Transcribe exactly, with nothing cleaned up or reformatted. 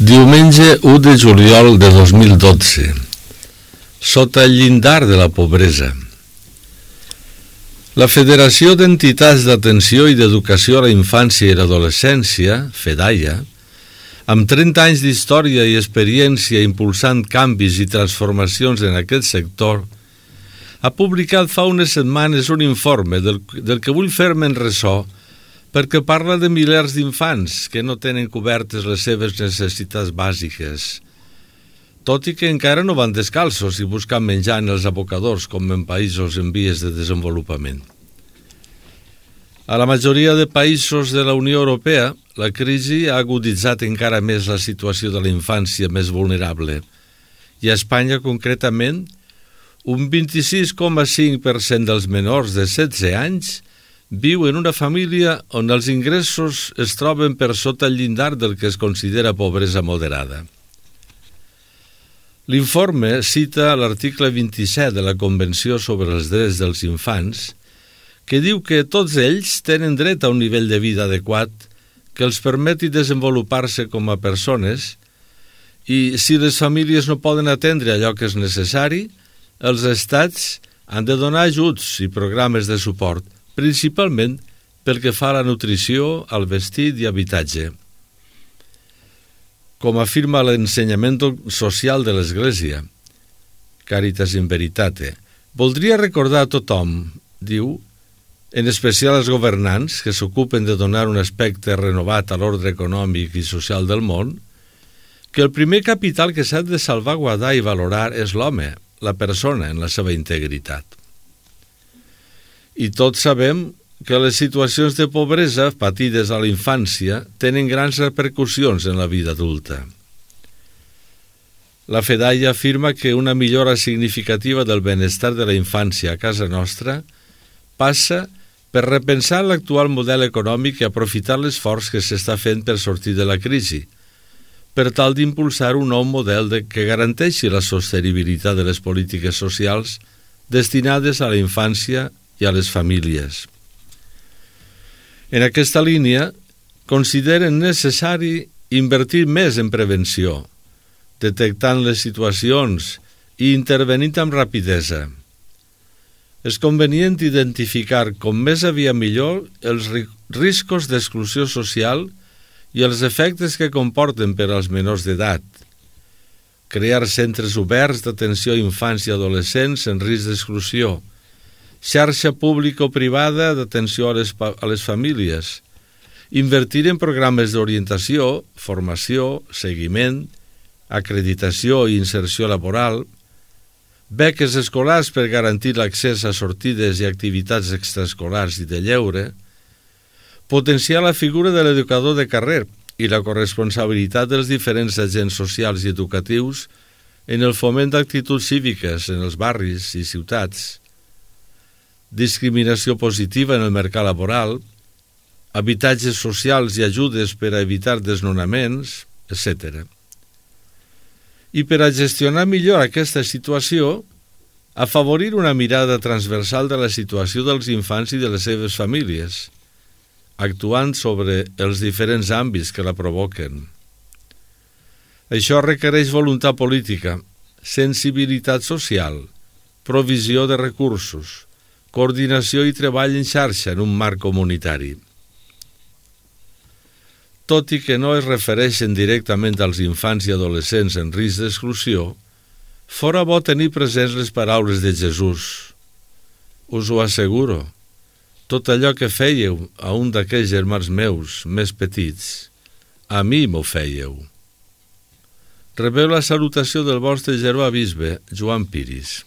Diumenge u de juliol de dos mil dotze. Sota el llindar de la pobresa. La Federació d'Entitats d'Atenció i d'Educació a la Infància i l'Adolescència, FEDAIA, amb trenta anys d'història i experiència impulsant canvis i transformacions en aquest sector, ha publicat fa unes setmanes un informe del, del que vull fer-me'n ressò perquè parla de milers d'infants que no tenen cobertes les seves necessitats bàsiques, tot i que encara no van descalços i buscant menjar en els abocadors com en països en vies de desenvolupament. A la majoria de països de la Unió Europea, la crisi ha aguditzat encara més la situació de la infància més vulnerable i a Espanya concretament, un vint-i-sis coma cinc per cent dels menors de setze anys viu en una família on els ingressos es troben per sota el llindar del que es considera pobresa moderada. L'informe cita l'article vint-i-set de la Convenció sobre els Drets dels Infants, que diu que tots ells tenen dret a un nivell de vida adequat que els permeti desenvolupar-se com a persones i, si les famílies no poden atendre allò que és necessari, els estats han de donar ajuts i programes de suport, principalment pel que fa a la nutrició, al vestit i habitatge. Com afirma l'ensenyament social de l'Església, Caritas in Veritate, voldria recordar a tothom, diu, en especial als governants que s'ocupen de donar un aspecte renovat a l'ordre econòmic i social del món, que el primer capital que s'ha de salvaguardar i valorar és l'home, la persona en la seva integritat. I tots sabem que les situacions de pobresa patides a la infància tenen grans repercussions en la vida adulta. La FEDAIA afirma que una millora significativa del benestar de la infància a casa nostra passa per repensar l'actual model econòmic i aprofitar l'esforç que s'està fent per sortir de la crisi, per tal d'impulsar un nou model de que garanteixi la sostenibilitat de les polítiques socials destinades a la infància i a les famílies. En aquesta línia, consideren necessari invertir més en prevenció, detectant les situacions i intervenint amb rapidesa. És convenient identificar com més aviat millor els riscos d'exclusió social i els efectes que comporten per als menors d'edat, crear centres oberts d'atenció a infants i adolescents en risc d'exclusió, xarxa público-privada d'atenció a les, a les famílies, invertir en programes d'orientació, formació, seguiment, acreditació i inserció laboral, beques escolars per garantir l'accés a sortides i activitats extraescolars i de lleure, potenciar la figura de l'educador de carrer i la corresponsabilitat dels diferents agents socials i educatius en el foment d'actituds cíviques en els barris i ciutats, discriminació positiva en el mercat laboral, habitatges socials i ajudes per a evitar desnonaments, etcètera. I per a gestionar millor aquesta situació, afavorir una mirada transversal de la situació dels infants i de les seves famílies, actuant sobre els diferents àmbits que la provoquen. Això requereix voluntat política, sensibilitat social, provisió de recursos, coordinació i treball en xarxa en un marc comunitari. Tot i que no es refereixen directament als infants i adolescents en risc d'exclusió, fora bo tenir presents les paraules de Jesús. Us ho asseguro, tot allò que fèieu a un d'aquells germans meus més petits, a mi m'ho fèieu. Rebeu la salutació del vostre germà bisbe, Joan Piris.